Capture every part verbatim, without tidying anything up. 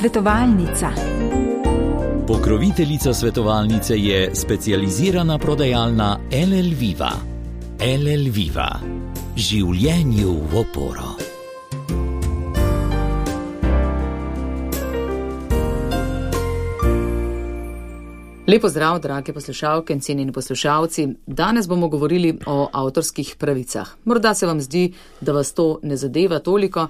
Svetovalnica. Pokroviteljica svetovalnice je specializirana prodajalna L L Viva. L L Viva. Življenju v oporo. Lepo zdrav, drage poslušalke in cenjeni poslušalci. Danes bomo govorili o avtorskih pravicah. Morda se vam zdi, da vas to ne zadeva toliko,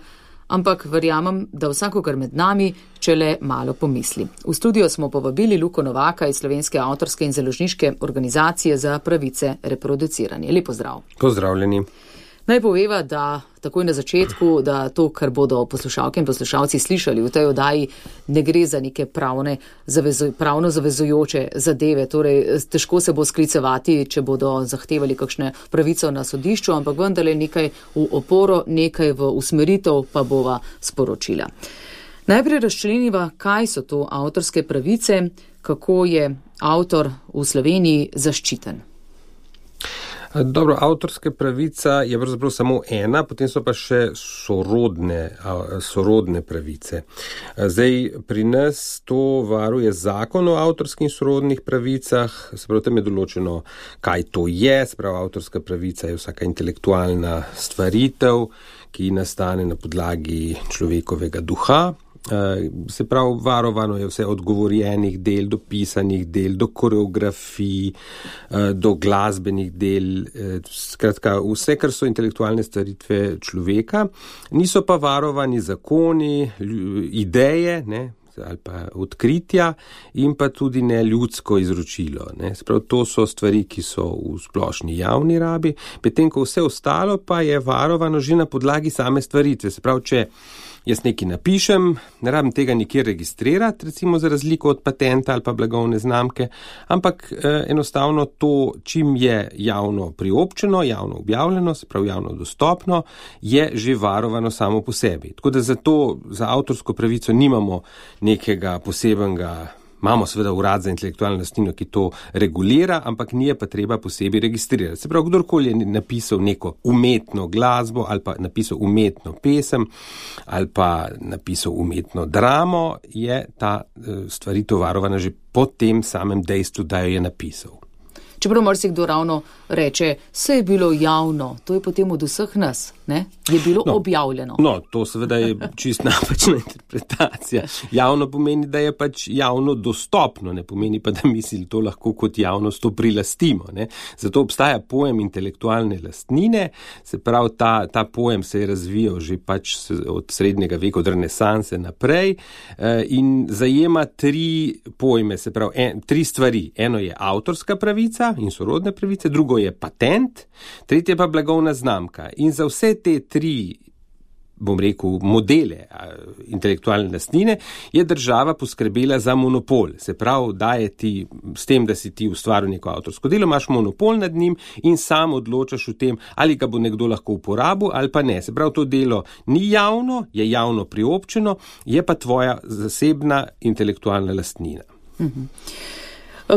ampak verjamem, da vsakogar med nami, če le malo pomisli. V studio smo povabili Luko Novaka iz Slovenske avtorske in založniške organizacije za pravice reproduciranja. Lepo zdrav. Pozdravljeni. Naj poveva, da takoj na začetku, da to, kar bodo poslušalke in poslušalci slišali v tej oddaji, ne gre za neke pravne, zavezo, pravno zavezujoče zadeve. Torej, težko se bo sklicevati, če bodo zahtevali kakšne pravico na sodišču, ampak vendarle nekaj v oporo, nekaj v usmeritev pa bova sporočila. Najprej razčleniva, kaj so to avtorske pravice, kako je avtor v Sloveniji zaščiten. Dobro, avtorska pravica je pravzaprav samo ena, potem so pa še sorodne, sorodne pravice. Zdaj, pri nas to varuje zakon o avtorskih in sorodnih pravicah, se pravi, tam je določeno, kaj to je, se pravi, avtorska pravica je vsaka intelektualna stvaritev, ki nastane na podlagi človekovega duha. Se pravi, varovano je vse od govorjenih del do pisanih del, do koreografij, do glasbenih del, skratka vse, kar so intelektualne stvaritve človeka. Niso pa varovani zakoni, ideje, ne, ali pa odkritja in pa tudi ne ljudsko izročilo. Ne. Se pravi, to so stvari, ki so v splošni javni rabi, medtem ko vse ostalo pa je varovano že na podlagi same stvaritve. Se pravi, če jaz nekaj napišem, ne rabim tega nikjer registrirati, recimo za razliko od patenta ali pa blagovne znamke, ampak eh, enostavno to, čim je javno priobčeno, javno objavljeno, se pravi javno dostopno, je že varovano samo po sebi. Tako da zato za avtorsko pravico nimamo nekega posebenega. Imamo seveda urad za intelektualno lastnino, ki to regulira, ampak ni je pa treba posebej registrirati. Se pravi, kdorkoli je napisal neko umetno glasbo ali pa napisal umetno pesem ali pa napisal umetno dramo, je ta stvaritev varovana že po tem samem dejstvu, da jo je napisal. Čeprav marsikdo ravno reče, vse je bilo javno, to je potem od vseh nas, ne? Je bilo no, objavljeno. No, to seveda je čist napačna interpretacija. Javno pomeni, da je pač javno dostopno, ne pomeni pa, da misli to lahko kot javnost to prilastimo. Ne? Zato obstaja pojem intelektualne lastnine, se pravi, ta, ta pojem se je razvijal že pač od srednjega veka, od renesanse naprej in zajema tri pojme, se pravi, en, tri stvari. Eno je avtorska pravica in sorodne pravice, drugo je patent, tretje pa blagovna znamka. In za vse te tri, bom rekel, modele intelektualne lastnine je država poskrbela za monopol. Se pravi, da je ti s tem, da si ti ustvaril neko avtorsko delo, imaš monopol nad njim in sam odločaš o tem, ali ga bo nekdo lahko uporabil ali pa ne. Se pravi, to delo ni javno, je javno priobčeno, je pa tvoja zasebna intelektualna lastnina. Mhm.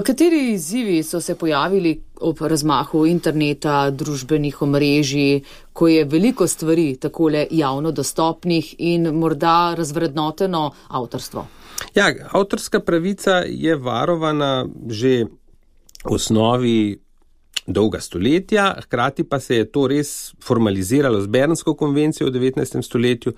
Kateri izzivi so se pojavili ob razmahu interneta, družbenih omrežij, ko je veliko stvari takole javno dostopnih in morda razvrednoteno avtorstvo? Ja, avtorska pravica je varovana že v osnovi dolga stoletja, hkrati pa se je to res formaliziralo z Bernsko konvencijo v devetnajstem stoletju,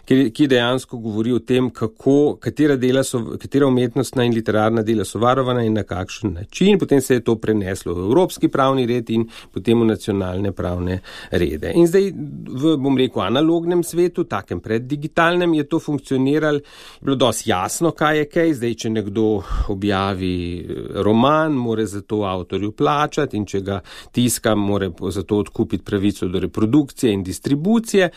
ki dejansko govori o tem, kako, katera, dela so, katera umetnostna in literarna dela so varovana in na kakšen način. Potem se je to preneslo v evropski pravni red in potem v nacionalne pravne rede. In zdaj v, bom rekel, analognem svetu, takem preddigitalnem, je to funkcioniralo, je bilo dosti jasno, kaj je kaj. Zdaj, če nekdo objavi roman, mora za to avtorju plačati in če ga tiska, mora zato odkupiti pravico do reprodukcije in distribucije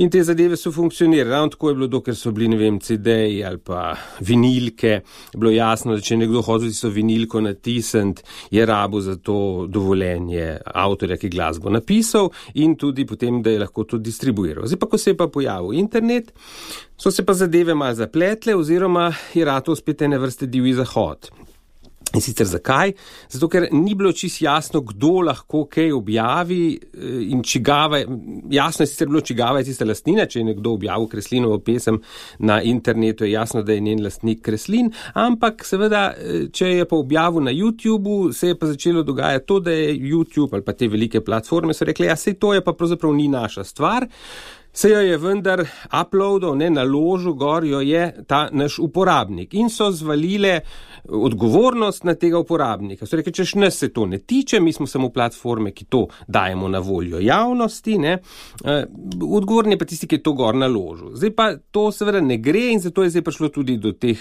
in te zadeve so funkcionirale. Ravno tako je bilo, dokler so bili, ne vem, C D-ji ali pa vinilke, je bilo jasno, da če nekdo hoče tisto vinilko natisniti, je rabo za to dovoljenje avtorja, ki glasbo napisal in tudi potem, da je lahko to distribuiral. Zdaj pa, ko se je pa pojavil internet, so se pa zadeve malo zapletle oziroma je rato spet ene vrste divji zahod. In sicer zakaj? Zato, ker ni bilo čisto jasno, kdo lahko kaj objavi in čigava, jasno je sicer bilo, čigava je tista lastnina, če je nekdo objavil Kreslinovo pesem na internetu, je jasno, da je njen lastnik Kreslin, ampak seveda, če je pa objavil na YouTubeu, se je pa začelo dogajati to, da je YouTube ali pa te velike platforme so rekli, ja, sej to je pa pravzaprav ni naša stvar. Se jo je vendar uploadal, ne, naložil gor, jo je ta naš uporabnik in so zvalile odgovornost na tega uporabnika. So rekli, češ nas se to ne tiče, mi smo samo platforme, ki to dajemo na voljo javnosti, ne. Odgovorni je pa tisti, ki je to gor naložil. Zdaj pa to seveda ne gre in zato je zdaj prišlo tudi do teh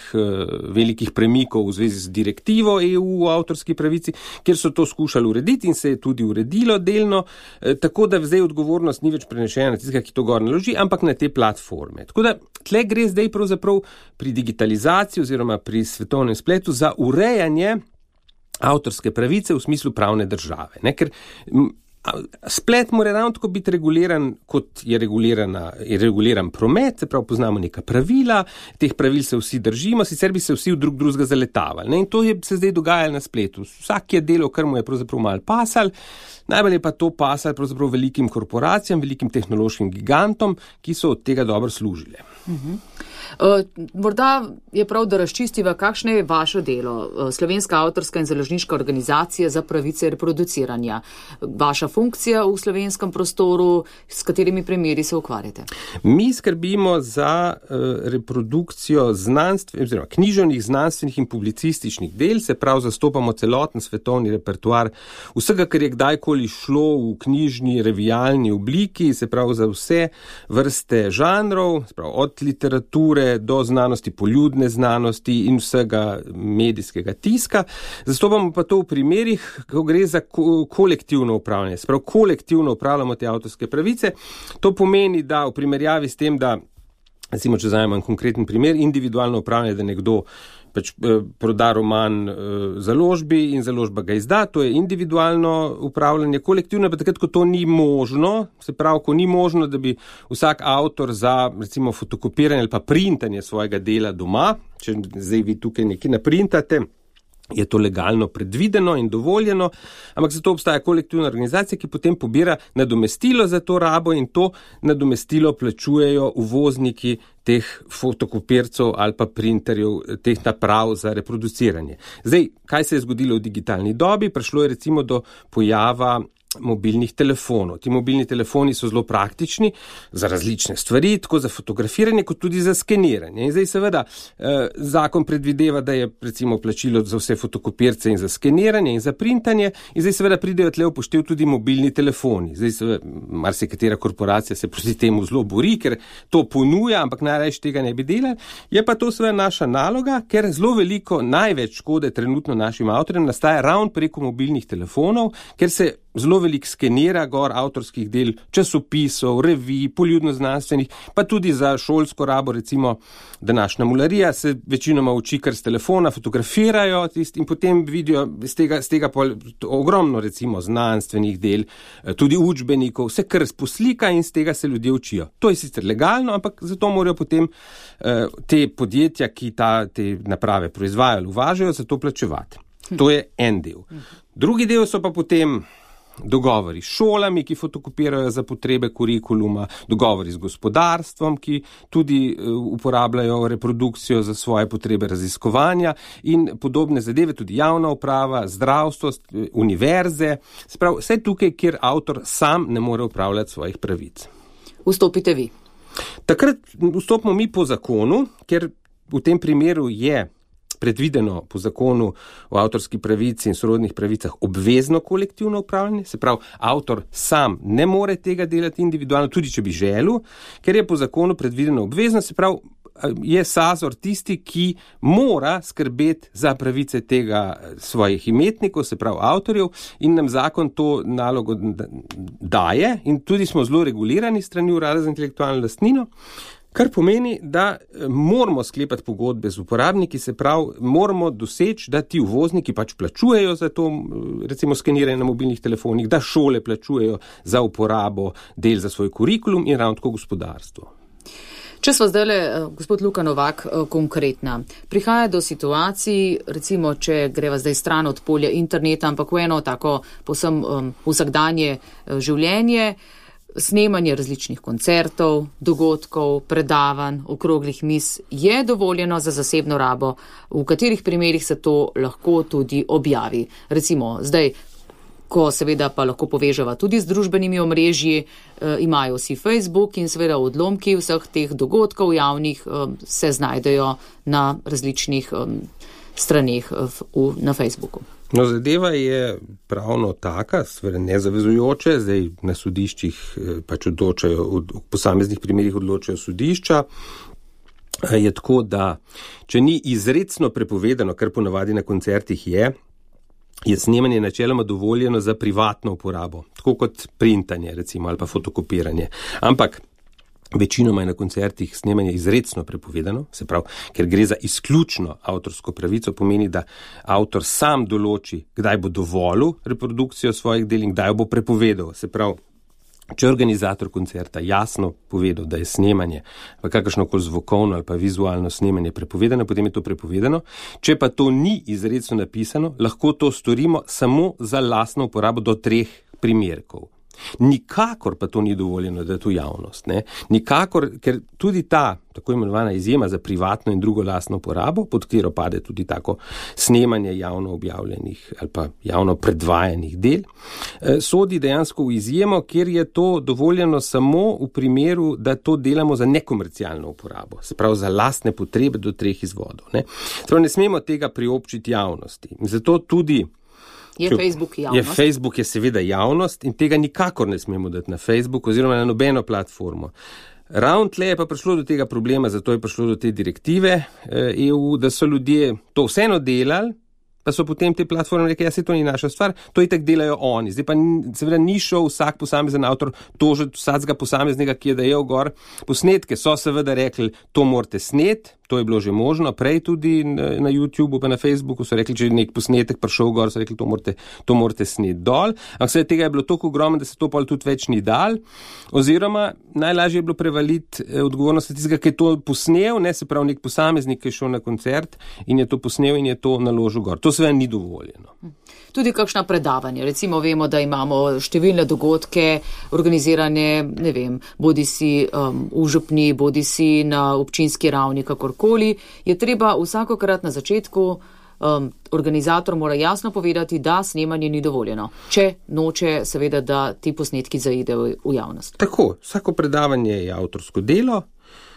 velikih premikov v zvezi z direktivo E U o avtorski pravici, kjer so to skušali urediti in se je tudi uredilo delno, tako da zdaj odgovornost ni več prenešena na tistega, ki to gor naloži, ampak na te platforme. Tako da tle gre zdaj pravzaprav pri digitalizaciji oziroma pri svetovnem spletu za urejanje avtorske pravice v smislu pravne države. Ne? Ker splet mora ravno tako biti reguliran, kot je, je reguliran promet, se pravi poznamo neka pravila, teh pravil se vsi držimo, sicer bi se vsi v drug drugega zaletavali. Ne? In to je se zdaj dogajalo na spletu. Vsak je delal, kar mu je pravzaprav malo pasal, najbolj je pa to pasal pravzaprav velikim korporacijam, velikim tehnološkim gigantom, ki so od tega dobro služile. Uh-huh. Uh, morda je prav, da razčistiva, kakšno je vaše delo, uh, Slovenska avtorska in založniška organizacija za pravice reproduciranja. Vaša funkcija v slovenskem prostoru, s katerimi primeri se ukvarjate? Mi skrbimo za uh, reprodukcijo znanstvenih, oziroma književnih, znanstvenih in publicističnih del, se prav zastopamo celoten svetovni repertoar vsega, kar je kdajkoli šlo v knjižni, revijalni obliki, se prav za vse vrste žanrov, se prav od literature do znanosti, poljudne znanosti in vsega medijskega tiska. Zastopamo pa to v primerih, ko gre za ko- kolektivno upravljanje. Sprav kolektivno upravljamo te avtorske pravice. To pomeni, da v primerjavi s tem, da, recimo, če vzamem konkreten primer, individualno upravljanje, da nekdo pač eh, proda roman eh, založbi in založba ga izda, to je individualno upravljanje, kolektivno pa takrat, ko to ni možno, se pravi, ko ni možno, da bi vsak avtor za, recimo, fotokopiranje ali pa printanje svojega dela doma, če zdaj vi tukaj nekaj naprintate, je to legalno predvideno in dovoljeno, ampak zato obstaja kolektivna organizacija, ki potem pobira nadomestilo za to rabo in to nadomestilo plačujejo uvozniki teh fotokopircev ali pa printerjev, teh naprav za reproduciranje. Zdaj, kaj se je zgodilo v digitalni dobi? Prišlo je recimo do pojava mobilnih telefonov. Ti mobilni telefoni so zelo praktični za različne stvari, tako za fotografiranje, kot tudi za skeniranje. In zdaj seveda eh, zakon predvideva, da je recimo plačilo za vse fotokopirce in za skeniranje in za printanje in zdaj seveda pridejo tle upoštev tudi mobilni telefoni. Zdaj seveda marsikatera korporacija se proti temu zelo bori, ker to ponuja, ampak najrajši tega ne bi delali. Je pa to seveda naša naloga, ker zelo veliko, največ škode trenutno našim avtorjem nastaja ravno preko mobilnih telefonov, ker se zelo veliko skenira gor avtorskih del, časopisov, revij, poljudno-znanstvenih, pa tudi za šolsko rabo, recimo današnja mularija se večinoma uči kar s telefona, fotografirajo tist, in potem vidijo z tega, z tega pol, ogromno recimo znanstvenih del, tudi učbenikov, vse kar poslika in z tega se ljudje učijo. To je sicer legalno, ampak zato morajo potem eh, te podjetja, ki ta, te naprave proizvajajo, uvažajo, za to plačevati. To je en del. Drugi del so pa potem dogovori s šolami, ki fotokopirajo za potrebe kurikuluma, dogovori z gospodarstvom, ki tudi uporabljajo reprodukcijo za svoje potrebe raziskovanja in podobne zadeve, tudi javna uprava, zdravstvo, univerze, sprav, vse tukaj, kjer avtor sam ne more upravljati svojih pravic. Vstopite vi. Takrat vstopimo mi po zakonu, ker v tem primeru je predvideno po zakonu o avtorski pravici in sorodnih pravicah obvezno kolektivno upravljanje, se pravi, avtor sam ne more tega delati individualno, tudi če bi želel, ker je po zakonu predvideno obvezno, se pravi, je Sazor tisti, ki mora skrbeti za pravice tega svojih imetnikov, se pravi avtorjev, in nam zakon to nalogo daje in tudi smo zelo regulirani strani Urada za intelektualno lastnino, kar pomeni, da moramo sklepati pogodbe z uporabniki, se pravi, moramo doseči, da ti uvozniki pač plačujejo za to, recimo skeniranje na mobilnih telefonih, da šole plačujejo za uporabo del za svoj kurikulum in ravno tako gospodarstvo. Če smo zdaj, gospod Luka Novak, konkretna, prihaja do situacij, recimo, če greva zdaj stran od polja interneta, ampak v eno tako posem um, vsakdanje življenje, snemanje različnih koncertov, dogodkov, predavanj, okroglih miz je dovoljeno za zasebno rabo, v katerih primerih se to lahko tudi objavi. Recimo, zdaj, ko seveda pa lahko povežava tudi z družbenimi omrežji, eh, imajo vsi Facebook in seveda odlomki vseh teh dogodkov javnih eh, se znajdejo na različnih eh, straneh eh, v, na Facebooku. No, zadeva je pravno taka, seveda nezavezujoče, zdaj na sodiščih pač odločajo, v posameznih primerih odločajo sodišča. Je tako, da če ni izrecno prepovedano, kar ponavadi na koncertih je, je snemanje načeloma dovoljeno za privatno uporabo, tako kot printanje recimo ali pa fotokopiranje. Ampak večinoma je na koncertih snemanje izrecno prepovedano, se pravi, ker gre za izključno avtorsko pravico, pomeni, da avtor sam določi, kdaj bo dovolil reprodukcijo svojih del in kdaj jo bo prepovedal. Se pravi, če organizator koncerta jasno povedal, da je snemanje, pa kakršnokoli zvokovno ali pa vizualno snemanje prepovedano, potem je to prepovedano. Če pa to ni izrecno napisano, lahko to storimo samo za lastno uporabo do treh primerkov. Nikakor pa to ni dovoljeno, da je to javnost. Ne? Nikakor, ker tudi ta tako imenovana izjema za privatno in drugo lastno uporabo, pod katero pade tudi tako snemanje javno objavljenih ali pa javno predvajanih del, sodi dejansko v izjemo, kjer je to dovoljeno samo v primeru, da to delamo za nekomercialno uporabo, se pravi za lastne potrebe do treh izvodov. Ne, ne smemo tega priobčiti javnosti. Zato tudi Je Facebook javnost? Je Facebook je seveda javnost in tega nikakor ne smemo dati na Facebook oziroma na nobeno platformo. Ravno tle je pa prišlo do tega problema, zato je prišlo do te direktive E U, da so ljudje to vseeno delali, pa so potem te platforme rekli, ja, se to ni naša stvar, to itak delajo oni. Zdaj pa seveda ni šel vsak posamezen avtor tožiti vsakega posameznega, ki je dajal gor posnetke. So seveda rekli, to morate snet, to je bilo že možno, prej tudi na YouTubeu pa na Facebooku so rekli, če je nek posnetek prišel gor, so rekli, to morate, to morate snet dol. Ampak seveda tega je bilo toliko ogromno, da se to pol tudi več ni dal. Oziroma najlažje je bilo prevaliti odgovornost tistega, ki je to posnel, ne, se pravi nek posameznik, ki je šel na koncert in je to posnel in je to naložil gor. To seveda ni dovoljeno. Tudi kakšna predavanja. Recimo vemo, da imamo številne dogodke organizirane, ne vem, bodi si um, v župni, bodi si na občinski ravni, kakorkoli. Je treba vsakokrat na začetku um, organizator mora jasno povedati, da snemanje ni dovoljeno, če noče seveda, da ti posnetki zaidejo v javnost. Tako, vsako predavanje je avtorsko delo.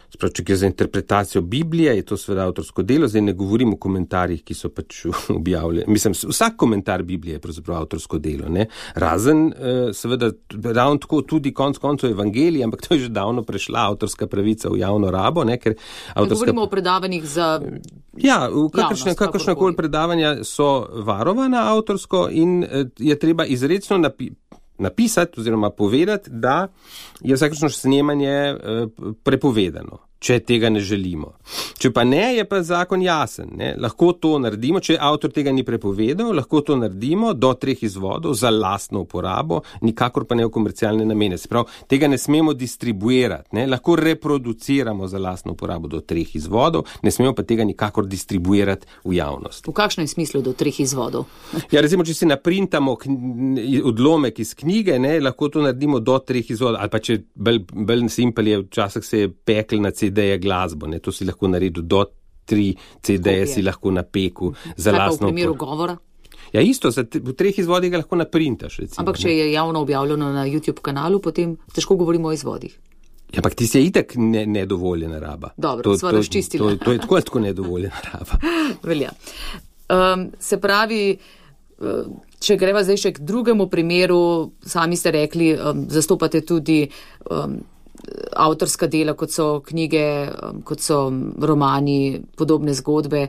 Sprav, če je za interpretacijo Biblije, je to seveda avtorsko delo, zdaj ne govorim o komentarjih, ki so pač objavljeni. Mislim, vsak komentar Biblije je pravzaprav avtorsko delo, ne? Razen, seveda, ravno tako tudi konc koncev evangelij, ampak to je že davno prešla avtorska pravica v javno rabo, ne? Ker avtorska... Ne govorimo o predavanjih za... Ja, kakršnekoli predavanja so varovana avtorsko in je treba izrecno napisati, napisati oziroma povedati, da je vsakršno snemanje prepovedano, če tega ne želimo. Če pa ne, je pa zakon jasen. Ne? Lahko to naredimo, če avtor tega ni prepovedal, lahko to naredimo do treh izvodov za lastno uporabo, nikakor pa ne v komercialne namene. Se pravi, tega ne smemo distribuirati. Ne? Lahko reproduciramo za lastno uporabo do treh izvodov, ne smemo pa tega nikakor distribuirati v javnost. V kakšnem smislu do treh izvodov? Ja, recimo, če si naprintamo odlomek iz knjige, ne, lahko to naredimo do treh izvodov, ali pa če bolj, bolj simpel je, včasih se je pekel na C D-je glasbo, ne, to si lahko naredil do tri C D-je si lahko napekel za Kaj lastno. Pa v primeru govora? Ja, isto, za v treh izvodih ga lahko naprintaš, recimo. Ampak če je javno objavljeno na YouTube kanalu, potem težko govorimo o izvodih. Ja, ampak ti se je itak ne, nedovoljena raba. Dobro, sva razčistila. To, to, to je tako, tako nedovoljena raba. Velja. Um, se pravi, če greva zdaj še k drugemu primeru, sami ste rekli, um, zastopate tudi um, avtorska dela, kot so knjige, um, kot so romani, podobne zgodbe.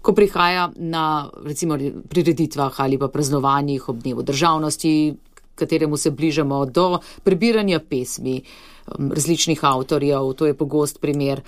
Ko prihaja na, recimo, prireditvah ali pa praznovanjih ob dnevu državnosti, kateremu se bližamo do prebiranja pesmi um, različnih avtorjev, to je pogost primer.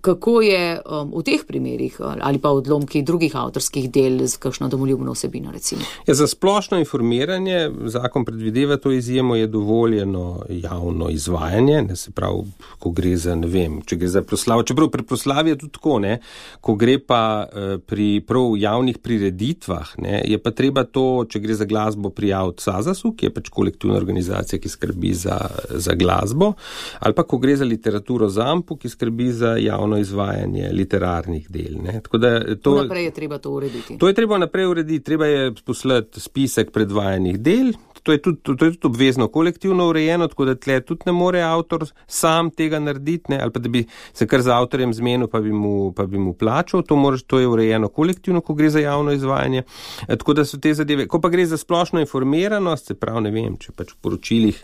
Kako je um, v teh primerih ali pa odlomki drugih avtorskih del z kakšno domoljubno vsebino, recimo? Ja, za splošno informiranje zakon predvideva to izjemo, je dovoljeno javno izvajanje, ne, se pravi, ko gre za, ne vem, če gre za proslavo, čeprav pri proslavi je tudi tako, ne, ko gre pa eh, pri prav javnih prireditvah, ne, je pa treba to, če gre za glasbo, prijaviti Sazasu, ki je pač kolektivna organizacija, ki skrbi za, za glasbo, ali pa ko gre za literaturo Zampu, ki skrbi za javno izvajanje literarnih del. Ne. Tako da to, naprej je treba to urediti. To je treba naprej urediti, treba je poslati spisek predvajanih del, to je tudi, to je tudi obvezno kolektivno urejeno, tako da tle tudi ne more avtor sam tega narediti, ne, ali pa da bi se kar z avtorjem zmenil, pa bi mu, pa bi mu plačal, to, moraš, to je urejeno kolektivno, ko gre za javno izvajanje. E, tako da so te zadeve, ko pa gre za splošno informiranost, se pravi, ne vem, če pač v poročilih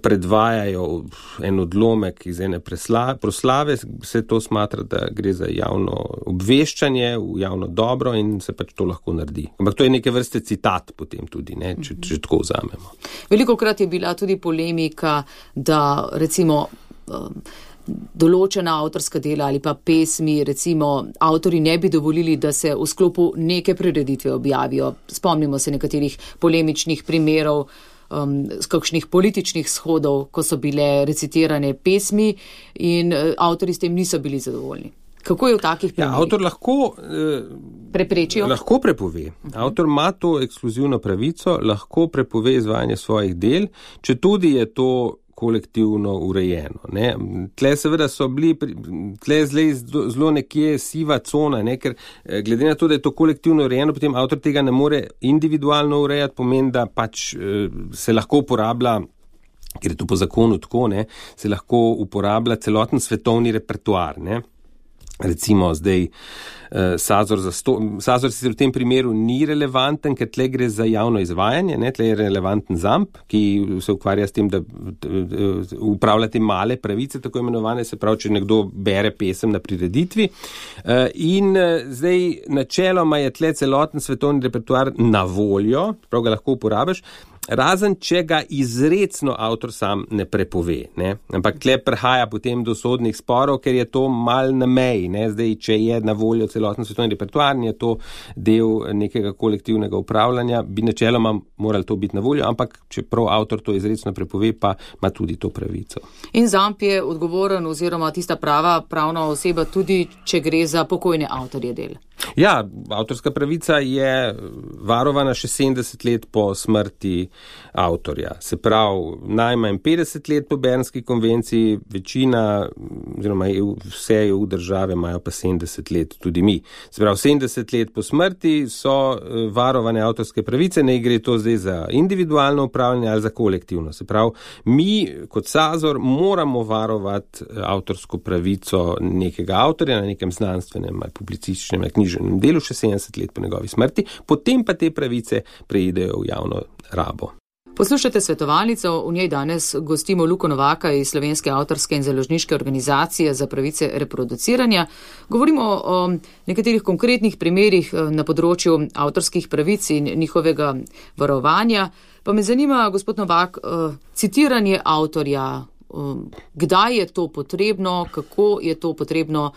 predvajajo en odlomek iz ene presla, proslave, se to smatra, da gre za javno obveščanje, v javno dobro in se pač to lahko naredi. Ampak to je neke vrste citat potem tudi, ne, če, če tako vzamemo. Veliko krat je bila tudi polemika, da recimo um, določena avtorska dela ali pa pesmi, recimo avtori ne bi dovolili, da se v sklopu neke prireditve objavijo. Spomnimo se nekaterih polemičnih primerov, um, z kakšnih političnih shodov, ko so bile recitirane pesmi in uh, avtori s tem niso bili zadovoljni. Kako je v takih primerih? Ja, avtor lahko, eh, Preprečijo? lahko prepove. Avtor ima to ekskluzivno pravico, lahko prepove izvajanje svojih del, če tudi je to kolektivno urejeno. Ne. Tle seveda so bili, tle zlej zelo nekje siva cona, ne, ker glede na to, da je to kolektivno urejeno, potem avtor tega ne more individualno urejati, pomeni, da pač eh, se lahko uporablja, ker je to po zakonu tako, ne, se lahko uporablja celoten svetovni repertoar, ne. Recimo zdaj eh, Sazor, za sto, Sazor sicer v tem primeru ni relevanten, ker tle gre za javno izvajanje, ne, tle je relevanten Zamp, ki se ukvarja s tem, da upravlja te male pravice, tako imenovane, se pravi, če nekdo bere pesem na prireditvi. Eh, in eh, zdaj načeloma je tle celoten svetovni repertoar na voljo, prav ga lahko uporabiš, razen če ga izrecno avtor sam ne prepove. Ne? Ampak tle prihaja potem do sodnih sporov, ker je to mal na meji. Ne? Zdaj, če je na voljo celoten svetovni repertoar, je to del nekega kolektivnega upravljanja, bi načeloma morali to biti na voljo, ampak če prav avtor to izrecno prepove, pa ima tudi to pravico. In Zamp je odgovoren oziroma tista prava pravna oseba tudi, če gre za pokojne avtorje del. Ja, avtorska pravica je varovana še sedemdeset let po smrti avtorja. Se pravi, najmanj petdeset let po Bernski konvenciji, večina, oziroma vse E U države imajo pa sedemdeset let, tudi mi. Se pravi, sedemdeset let po smrti so varovane avtorske pravice, ne gre to zdaj za individualno upravljanje ali za kolektivno. Se pravi, mi kot Sazor moramo varovati avtorsko pravico nekega avtorja na nekem znanstvenem ali publicističnem ali književnem delu še sedemdeset let po njegovi smrti, potem pa te pravice preidejo v javno rabo. Poslušate svetovalnico, v njej danes gostimo Luko Novaka iz Slovenske avtorske in založniške organizacije za pravice reproduciranja. Govorimo o nekaterih konkretnih primerih na področju avtorskih pravic in njihovega varovanja. Pa me zanima, gospod Novak, citiranje avtorja, kdaj je to potrebno, kako je to potrebno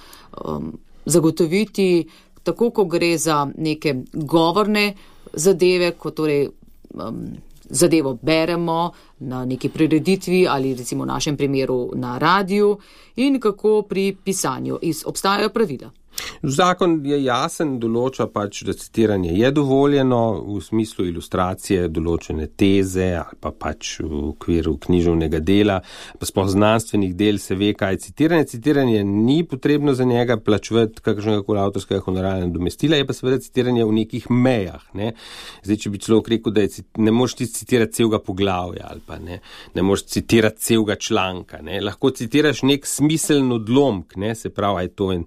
zagotoviti, tako ko gre za neke govorne zadeve, ko torej um, zadevo beremo na neki prireditvi ali recimo v našem primeru na radiju in kako pri pisanju. Obstajajo pravila. Zakon je jasen, določa pač, da citiranje je dovoljeno v smislu ilustracije določene teze ali pa pač v okviru književnega dela, pa sploh znanstvenih del se ve, kaj je citiranje. Citiranje ni potrebno za njega plačevati kakšnega koli avtorskega honorarnega nadomestila, je pa seveda citiranje v nekih mejah. Ne? Zdaj, če bi človek rekel, da je, ne moreš ti citirati celega poglavja ali pa ne, ne moreš citirati celega članka. Ne? Lahko citiraš nek smiseln odlomk, ne? Se pravi, je to, in,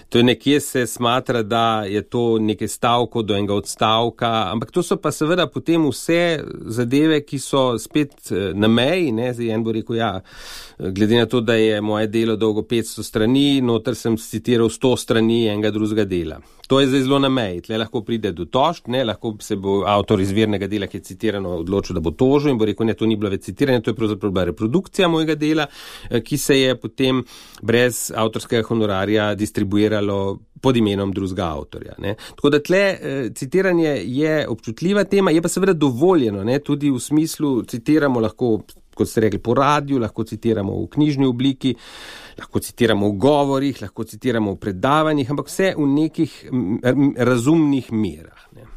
to je nekje se smatra, da je to nekaj stavko do enega odstavka, ampak to so pa seveda potem vse zadeve, ki so spet na meji, ne, zdaj en bo rekel, ja, glede na to, da je moje delo dolgo petsto strani, noter sem citiral sto strani enega drugega dela. To je zdaj zelo na meji, tle lahko pride do tožb, ne, lahko se bo avtor izvirnega dela, ki je citirano, odločil, da bo tožil in bo rekel, ne, to ni bilo več citiranje, to je pravzaprav bila reprodukcija mojega dela, ki se je potem brez avtorskega honorarja distribuiralo pod imenom drugega avtorja. Ne. Tako da tle citiranje je občutljiva tema, je pa seveda dovoljeno, ne, tudi v smislu citiramo lahko, kot ste rekli, po radiju, lahko citiramo v knjižni obliki, lahko citiramo v govorih, lahko citiramo v predavanjih, ampak vse v nekih razumnih merah. Ne.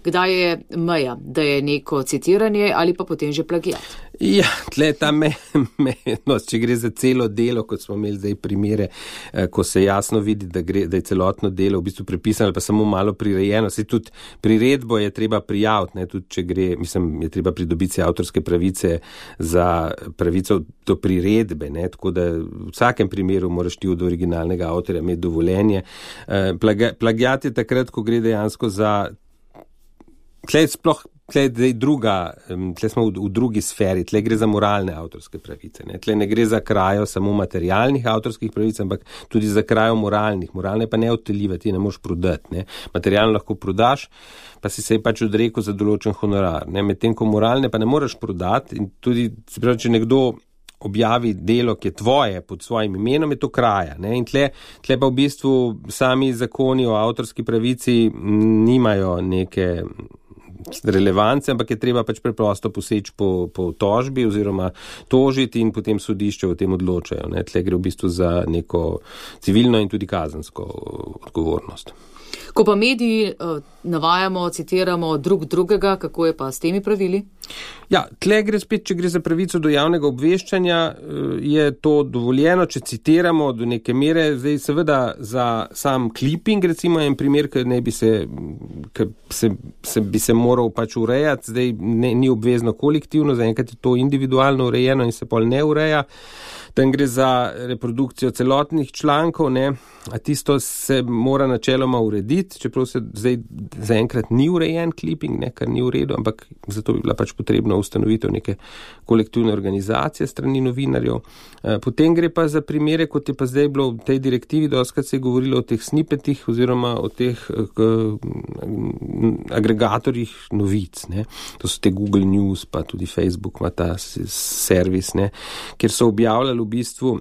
Kdaj je meja, da je neko citiranje ali pa potem že plagiat? Ja, tle ta me, me, no, če gre za celo delo, kot smo imeli zdaj primere, ko se jasno vidi, da, gre, da je celotno delo v bistvu prepisano ali pa samo malo prirejeno. Se tudi priredbo je treba prijaviti, ne, tudi če gre, mislim, je treba pridobiti avtorske pravice za pravico do priredbe, ne, tako da v vsakem primeru moraš ti od originalnega avtorja imeti dovoljenje. Plagiat je takrat, ko gre dejansko za Tle sploh, tle je druga, tle smo v, v drugi sferi, tle gre za moralne avtorske pravice. Ne? Tle ne gre za krajo samo materialnih avtorskih pravic, ampak tudi za krajo moralnih. Moralne pa ne odteljiva, ti ne moreš prodati. Ne? Materialno lahko prodaš, pa si se je pač odrekel za določen honorar. Medtem ko moralne pa ne moreš prodati in tudi, se pravi, če nekdo objavi delo, ki je tvoje pod svojim imenom, je to kraja. Ne? In tle, tle pa v bistvu sami zakoni o avtorski pravici nimajo neke relevance, ampak je treba pač preprosto poseči po, po tožbi oziroma tožiti in potem sodišče o tem odločajo. Ne? Tle gre v bistvu za neko civilno in tudi kazensko odgovornost. Ko pa mediji uh, navajamo, citiramo drug drugega, kako je pa s temi pravili? Ja, tle gre spet, če gre za pravico do javnega obveščanja, je to dovoljeno, če citiramo do neke mere. Zdaj seveda za sam clipping, recimo en primer, ki ne bi se, ki se, se, bi se moral pač urejati, zdaj ne, ni obvezno kolektivno, zaenkrat je to individualno urejeno in se pol ne ureja. Tam gre za reprodukcijo celotnih člankov, ne, a tisto se mora načeloma urediti, čeprav se zdaj zaenkrat ni urejen clipping, ne, kar ni v redu, ampak zato bi bila pač potrebna ustanovitev neke kolektivne organizacije strani novinarjev. Potem gre pa za primere, kot je pa zdaj bilo v tej direktivi, doskrat se je govorilo o teh snippetih oziroma o teh k, agregatorjih novic, ne. To so te Google News, pa tudi Facebook ima ta servis, ne, kjer so objavljali v bistvu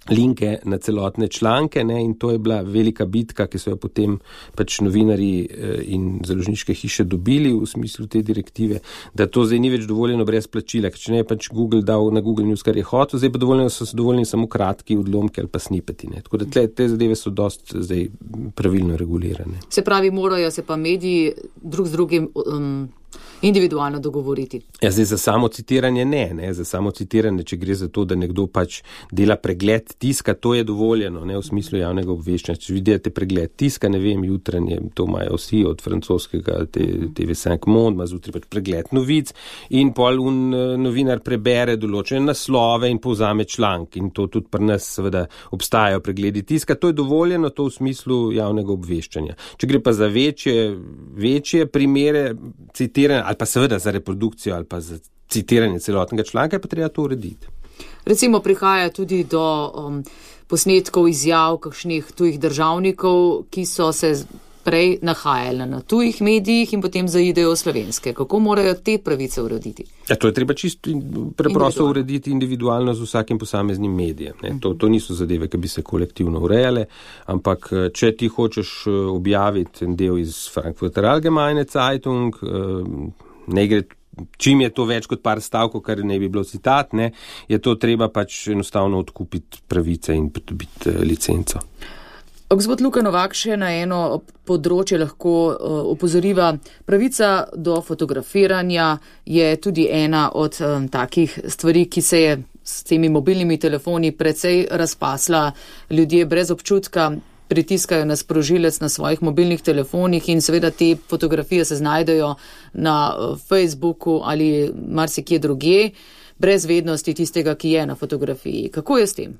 linke na celotne članke, ne, in to je bila velika bitka, ki so jo potem pač novinarji in založniške hiše dobili v smislu te direktive, da to zdaj ni več dovoljeno brez plačila, ker če ne je pač Google dal na Google News, kar je hotel, zdaj pa dovoljeno so dovoljeni samo kratki odlomki ali pa snippeti, ne. Tako da tle, te zadeve so dost zdaj pravilno regulirane. Se pravi, morajo se pa mediji drug z drugim um, individualno dogovoriti. Ja, zdaj za samo citiranje ne, ne, za samo citiranje, če gre za to, da nekdo pač dela pregled tiska, to je dovoljeno, ne, v smislu javnega obveščanja. Če vidite pregled tiska, ne vem, jutranje, to imajo vsi od francoskega T V cinq Monde, ima zjutraj pač pregled novic in pol un novinar prebere določene naslove in povzame članek in to tudi pri nas seveda obstajajo pregledi tiska, to je dovoljeno, to v smislu javnega obveščanja. Če gre pa za večje, večje primere citiranja ali pa seveda za reprodukcijo ali pa za citiranje celotnega članka, pa treba to urediti. Recimo prihaja tudi do um, posnetkov izjav kakšnih tujih državnikov, ki so se prej nahajali na tujih medijih in potem zaidejo v slovenske. Kako morajo te pravice urediti? Ja, to je treba čisto preprosto urediti individualno z vsakim posameznim medijem. Ne? To, to niso zadeve, ki bi se kolektivno urejale, ampak če ti hočeš objaviti en del iz Frankfurter Allgemeine Zeitung, ne gre, čim je to več kot par stavkov, kar ne bi bilo citat, ne, je to treba pač enostavno odkupiti pravice in pridobiti licenco. Gospod Luka Novak, še na eno področje lahko uh, opozoriva. Pravica do fotografiranja je tudi ena od um, takih stvari, ki se je s temi mobilnimi telefoni precej razpasla. Ljudje brez občutka pritiskajo na sprožilec na svojih mobilnih telefonih in seveda te fotografije se znajdejo na uh, Facebooku ali marsikje drugje, brez vednosti tistega, ki je na fotografiji. Kako je s tem?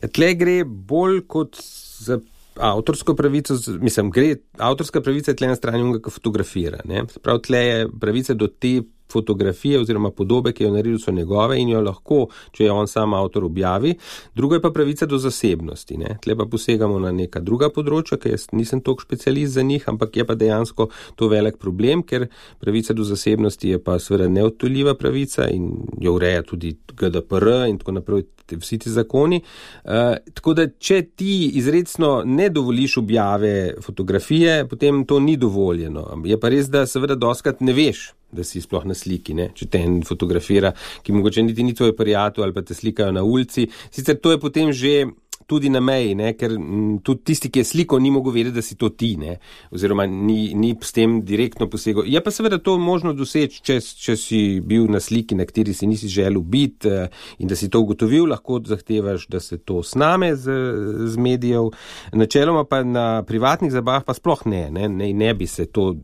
Ja, tle gre bolj kot za avtorsko pravico, mislim, gre, avtorska pravica je tle na strani unga, ki fotografira, ne. Prav tle je pravica do te fotografije oziroma podobe, ki jo naredil, so njegove in jo lahko, če je on sam avtor, objavi. Drugo je pa pravica do zasebnosti, ne. Tle pa posegamo na neka druga področja, ker jaz nisem toliko specialist za njih, ampak je pa dejansko to velik problem, ker pravica do zasebnosti je pa seveda neodtujljiva pravica in jo ureja tudi G D P R in tako naprej, vsi ti zakoni. Uh, tako da, če ti izrecno ne dovoliš objave fotografije, potem to ni dovoljeno. Je pa res, da seveda doskrat ne veš, da si sploh na sliki, ne? Če te en fotografira, ki mogoče niti ni tvoj prijatelj ali pa te slikajo na ulici. Sicer to je potem že tudi na meji, ne? Ker m, tudi tisti, ki je sliko, ni mogel vedeti, da si to ti, ne? Oziroma ni, ni s tem direktno posegel. Je pa seveda to možno doseči, če, če si bil na sliki, na kateri si nisi želel biti in da si to ugotovil, lahko zahtevaš, da se to sname z, z medijev. Načeloma pa na privatnih zabavah pa sploh ne, ne, ne, ne bi se to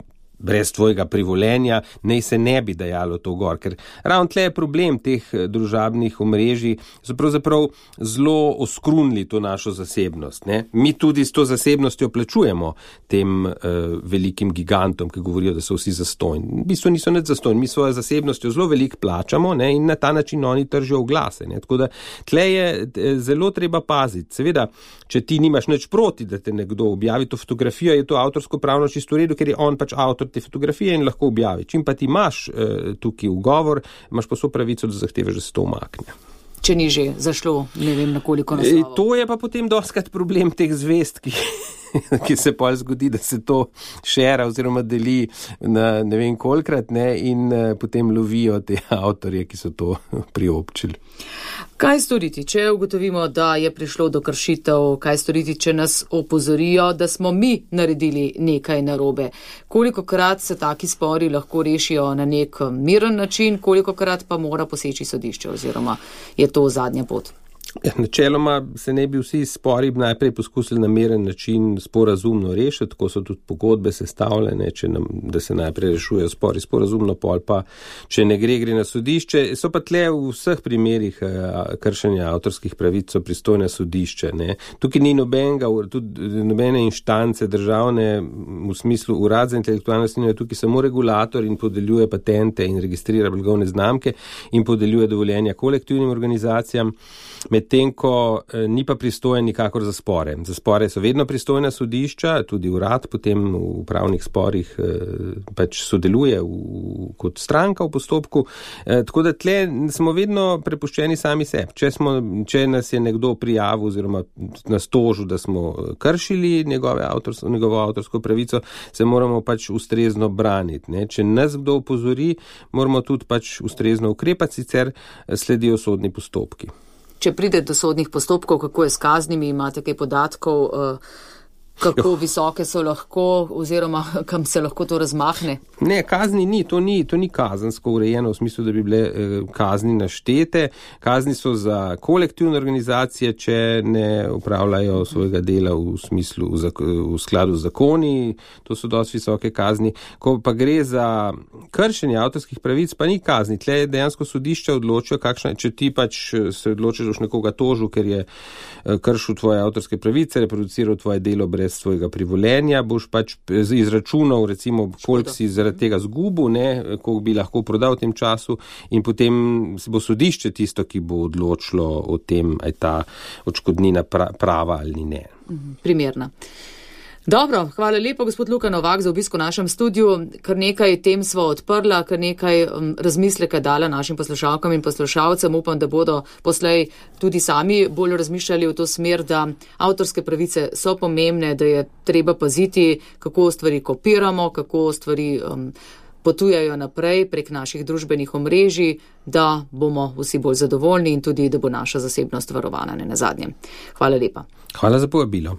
brez tvojega privolenja, nej se ne bi dajalo to gor, ker ravno tle je problem teh družabnih omrežij, so pravzaprav zelo oskrunili to našo zasebnost, ne. Mi tudi s to zasebnostjo plačujemo tem uh, velikim gigantom, ki govorijo, da so vsi zastojni. V bistvu niso nič zastojni, mi svojo zasebnostjo zelo veliko plačamo, ne, in na ta način oni tržijo oglase, ne. Tako da tle je zelo treba paziti. Seveda, če ti nimaš nič proti, da te nekdo objavi to fotografijo, je to avtorsko pravno čisto v redu, ker je on pač avtor te fotografije in lahko objavi. Čim pa ti imaš eh, tukaj ugovor, imaš pa so pravico, da zahtevaš, da se to umakne. Če ni že zašlo, ne vem, na koliko naslovov. E, to je pa potem dostkrat problem teh zvest, ki, ki se pa zgodi, da se to šera oziroma deli na ne vem kolikrat, ne, in uh, potem lovijo te avtorje, ki so to priobčili. Kaj storiti, če ugotovimo, da je prišlo do kršitev? Kaj storiti, če nas opozorijo, da smo mi naredili nekaj narobe? Kolikokrat se taki spori lahko rešijo na nek miren način, kolikokrat pa mora poseči sodišče oziroma je to zadnja pot? Ja, načeloma se ne bi vsi spori najprej poskusili na miren način sporazumno rešiti, tako so tudi pogodbe sestavljene, če nam, da se najprej rešujejo spori sporazumno, pol pa, če ne gre, gre na sodišče. So pa tle v vseh primerih kršenja avtorskih pravic so pristojne sodišče, ne. Tukaj ni nobenega, tudi nobene inštance državne, v smislu urad za intelektualno lastnino je tukaj samo regulator in podeljuje patente in registrira blagovne znamke in podeljuje dovoljenja kolektivnim organizacijam. Medtem ko eh, ni pa pristojen nikakor za spore. Za spore so vedno pristojna sodišča, tudi urad potem v pravnih sporih eh, pač sodeluje v, kot stranka v postopku. Eh, tako da tle smo vedno prepuščeni sami sebi. Če, smo, če nas je nekdo prijavil oziroma nas tožil, da smo kršili njegove avtorsko, njegovo avtorsko pravico, se moramo pač ustrezno braniti. Ne? Če nas kdo opozori, moramo tudi pač ustrezno ukrepati, sicer sledijo sodni postopki. Če pride do sodnih postopkov, kako je s kaznimi, imate kaj podatkov, kako jo. Visoke so lahko oziroma kam se lahko to razmahne? Ne, kazni ni, to ni, to ni kazensko urejeno v smislu, da bi bile eh, kazni naštete. Kazni so za kolektivne organizacije, če ne upravljajo svojega dela v smislu, v, v skladu z zakoni, to so dosti visoke kazni. Ko pa gre za kršenje avtorskih pravic, pa ni kazni. Tle je dejansko sodišče odločijo, kakšna, če ti pač se odločiš, da boš nekoga tožil, ker je kršil tvoje avtorske pravice, reproduciral tvoje delo brez svojega privolenja, boš pač izračunal, recimo, koliko si zaradi tega zgubil, ne, koliko bi lahko prodal v tem času in potem se bo sodišče tisto, ki bo odločilo o tem, aj ta odškodnina prava ali ne. Primerna. Dobro, hvala lepo, gospod Luka Novak, za obisko v našem studiu. Kar nekaj tem smo odprla, kar nekaj um, razmisleka dala našim poslušalkam in poslušalcem. Upam, da bodo poslej tudi sami bolj razmišljali v to smer, da avtorske pravice so pomembne, da je treba paziti, kako stvari kopiramo, kako stvari um, potujajo naprej prek naših družbenih omrežij, da bomo vsi bolj zadovoljni in tudi, da bo naša zasebnost varovana, ne nazadnje. Hvala lepa. Hvala za povabilo.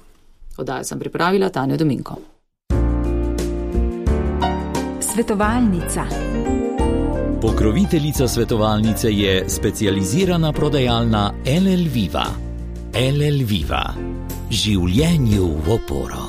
Oddajo sem pripravila Tanja Dominko. Svetovalnica. Pokroviteljica svetovalnice je specializirana prodajalna L L Viva. L L Viva. Življenju v oporo.